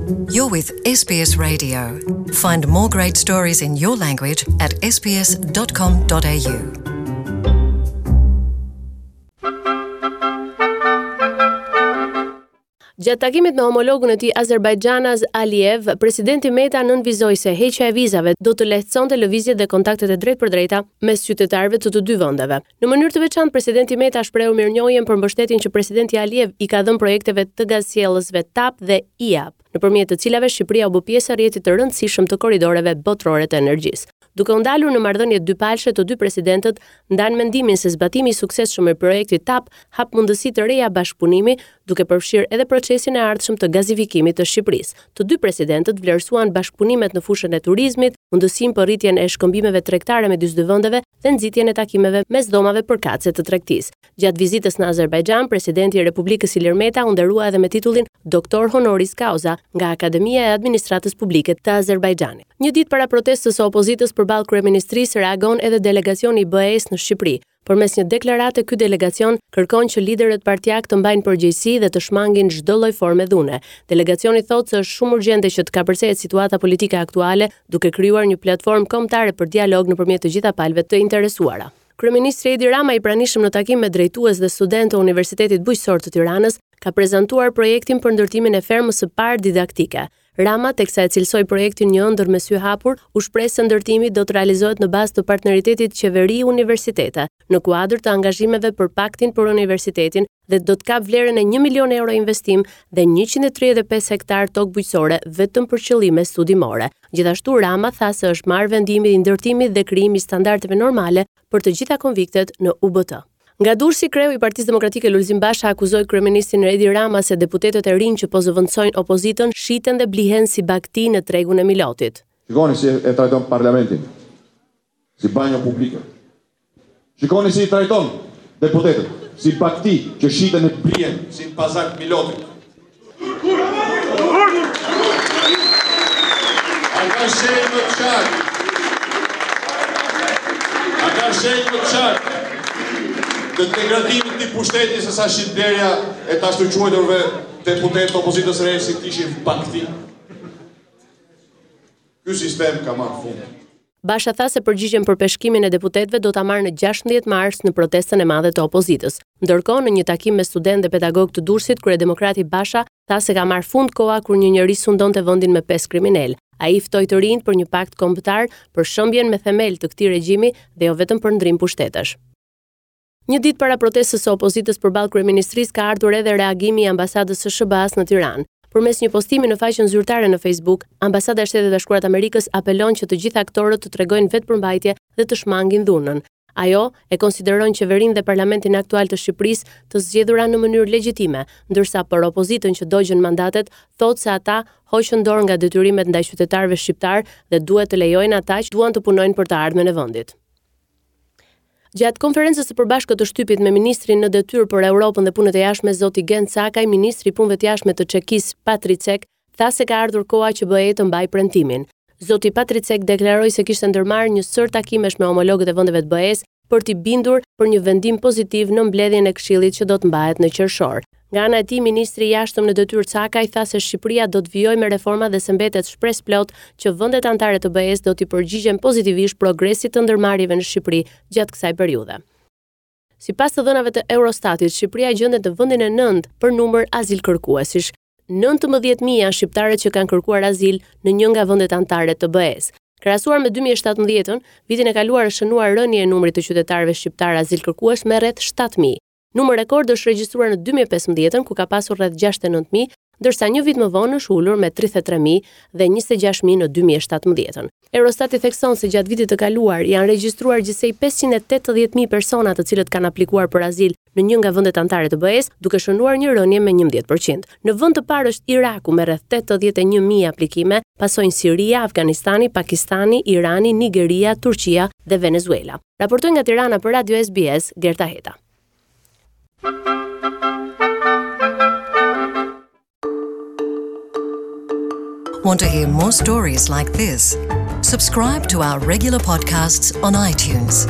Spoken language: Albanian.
You're with SBS Radio. Find more great stories in your language at sbs.com.au. Gjatë takimit me homologun e tij azerbajxhanas Aliyev, presidenti Meta nënvizoi se heqja e vizave do të lehtësonte lëvizjet dhe kontaktet e drejtpërdrejta mes qytetarëve të të dy vendeve. Në mënyrë të veçantë, presidenti Meta shprehu mirënjohjen për mbështetjen që presidenti Aliyev i ka dhënë projekteve të gazsjellësve TAP dhe IAP, nëpërmjet të cilave Shqipëria u bë pjesë e rrjetit të rëndësishëm të korridoreve botërore të energjisë. Duke u ndalur në marrëdhëniet dypalëshe, të dy presidentët ndanë mendimin se zbatimi i suksesshëm i projektit TAP hap mundësi të reja bashkëpunimi, duke përfshirë edhe procesin e ardhshëm të gazifikimit të Shqipërisë. Të dy presidentët vlerësuan bashkëpunimet në fushën e turizmit, mundësinë për rritjen e shkëmbimeve tregtare midis dy vendeve dhe nxitjen e takimeve mes dhomave përkatëse të tregtisë. Gjatë vizitës në Azerbajxhan, presidenti i Republikës Ilir Meta u nderua edhe me titullin Doktor Honoris Causa nga Akademia e Administratës Publike të Azerbajxhanit. Një ditë para protestës së opozitës përballë kryeministrisë reagon edhe delegacioni i BE-së në Shqipëri. Përmes një deklarate ky delegacion kërkon që liderët partiakë të mbajnë përgjegjësi dhe të shmangin çdo lloj forme dhune. Delegacioni thotë se është shumë urgjente që të kapërcehet situata politike aktuale, duke krijuar një platformë kombëtare për dialog nëpërmjet të gjitha palëve të interesuara. Kryeministri Edi Rama i pranishëm në takim me drejtues dhe studentë të Universitetit Bujqësor të Tiranës, ka prezantuar projektin për ndërtimin e fermës së parë didaktike. Rama, teksa e cilësoi projektin një ëndërr me sy hapur, u shpreh se ndërtimi do të realizohet në bazë të partneritetit qeveri-universitete, në kuadër të angazhimeve për Paktin për Universitetin dhe do të kapë vlerën e 1 milion euro investim dhe 135 hektarë tokë bujqësore vetëm për qëllime studimore. Gjithashtu Rama tha se është marrë vendimi i ndërtimit dhe krijimi i standardeve normale për të gjitha konviktet në UBT. Nga Durrësi, kreu i Partisë Demokratike Lulzim Basha akuzoi kryeministrin Edi Rama se deputetët e rinj që po zëvendësojnë opozitën shiten dhe blihen si bagëti në tregun e Milotit. Shikoni si e trajton parlamentin, si banjo publike. Shikoni si i trajton deputetët, si bagëti që shiten e blihen si në pazar të Milotit. A ka shenjë më të qartë? A ka shenjë më të qartë të degradimit të pushtetit se sa shitblerja e të ashtuquajturve deputetë të opozitës re si të ishin bagëti? Ky sistem ka marrë fund. Basha tha se përgjigjen për peshkimin e deputetëve do ta marrë në 16 mars në protestën e madhe të opozitës. Ndërkohë, në një takim me studentë dhe pedagogë të Durrësit, kryedemokrati Basha tha se ka marrë fund koha kur një njeri sundonte vendin me pesë kriminelë. Ai ftoi të rinjtë për një pakt kombëtar për shembjen me themel të këtij regjimi dhe jo vetëm për ndërrim pushtetesh. Një ditë para protestës së opozitës përballë kryeministrisë ka ardhur edhe reagimi i ambasadës së SHBA-së në Tiranë. Përmes një postimi në faqen zyrtare në Facebook, Ambasada e Shteteve të Bashkuara të Amerikës apelon që të gjithë aktorët të tregojnë vetëpërmbajtje dhe të shmangin dhunën. Ajo e konsideron qeverinë dhe parlamentin aktual të Shqipërisë të zgjedhura në mënyrë legjitime, ndërsa për opozitën që dogjën mandatet, thotë se ata hoqën dorë nga detyrimet ndaj qytetarëve shqiptarë dhe duhet të lejojnë ata që duan të punojnë për të ardhmen e vendit. Gjatë konferencës së përbashkët të shtypit me ministrin në detyrë për Europën dhe Punët e Jashtme, zoti Gent Cakaj, ministri i Punëve të Jashtme të Çekisë, Patricek, tha se ka ardhur koha që BE të mbajë premtimin. Zoti Patricek deklaroi se kishte ndërmarrë një sërë takimesh me homologët e vendeve të BE-së për t'i bindur për një vendim pozitiv në mbledhjen e Këshillit që do të mbahet në qershor. Nga ana e tij, ministri i Jashtëm në detyrë Cakaj tha se Shqipëria do të vijojë me reformat dhe se mbetet shpresëplotë që vendet anëtare të BE-së do t'i përgjigjen pozitivisht progresit të ndërmarrjeve në Shqipëri gjatë kësaj periudhe. Sipas të dhënave të Eurostatit, Shqipëria gjendet në vendin e nëntë për numër azilkërkuesish. 19.000 janë shqiptarët që kanë kërkuar azil në një nga vendet anëtare të BE-së. Krahasuar me 2017-ën, vitin e kaluar është shënuar rënie e numrit të qytetarëve shqiptarë azilkërkues me rreth 7.000. Numër rekord është regjistruar në 2015-ën, ku ka pasur rreth 69.000, ndërsa një vit më vonë është ulur me 33.000 dhe 26.000 në 2017-ën. Eurostati thekson se gjatë vitit të kaluar janë regjistruar gjithsej 580.000 persona të cilët kanë aplikuar për azil në një nga vendet anëtare të BE-së, duke shënuar një rënie me 11%. Në vend të parë është Iraku me rreth 81.000 aplikime, pasojnë Siria, Afganistani, Pakistani, Irani, Nigeria, Turqia dhe Venezuela. Raportoi nga Tirana për Radio SBS, Gerta Heta. Want to hear more stories like this? Subscribe to our regular podcasts on iTunes.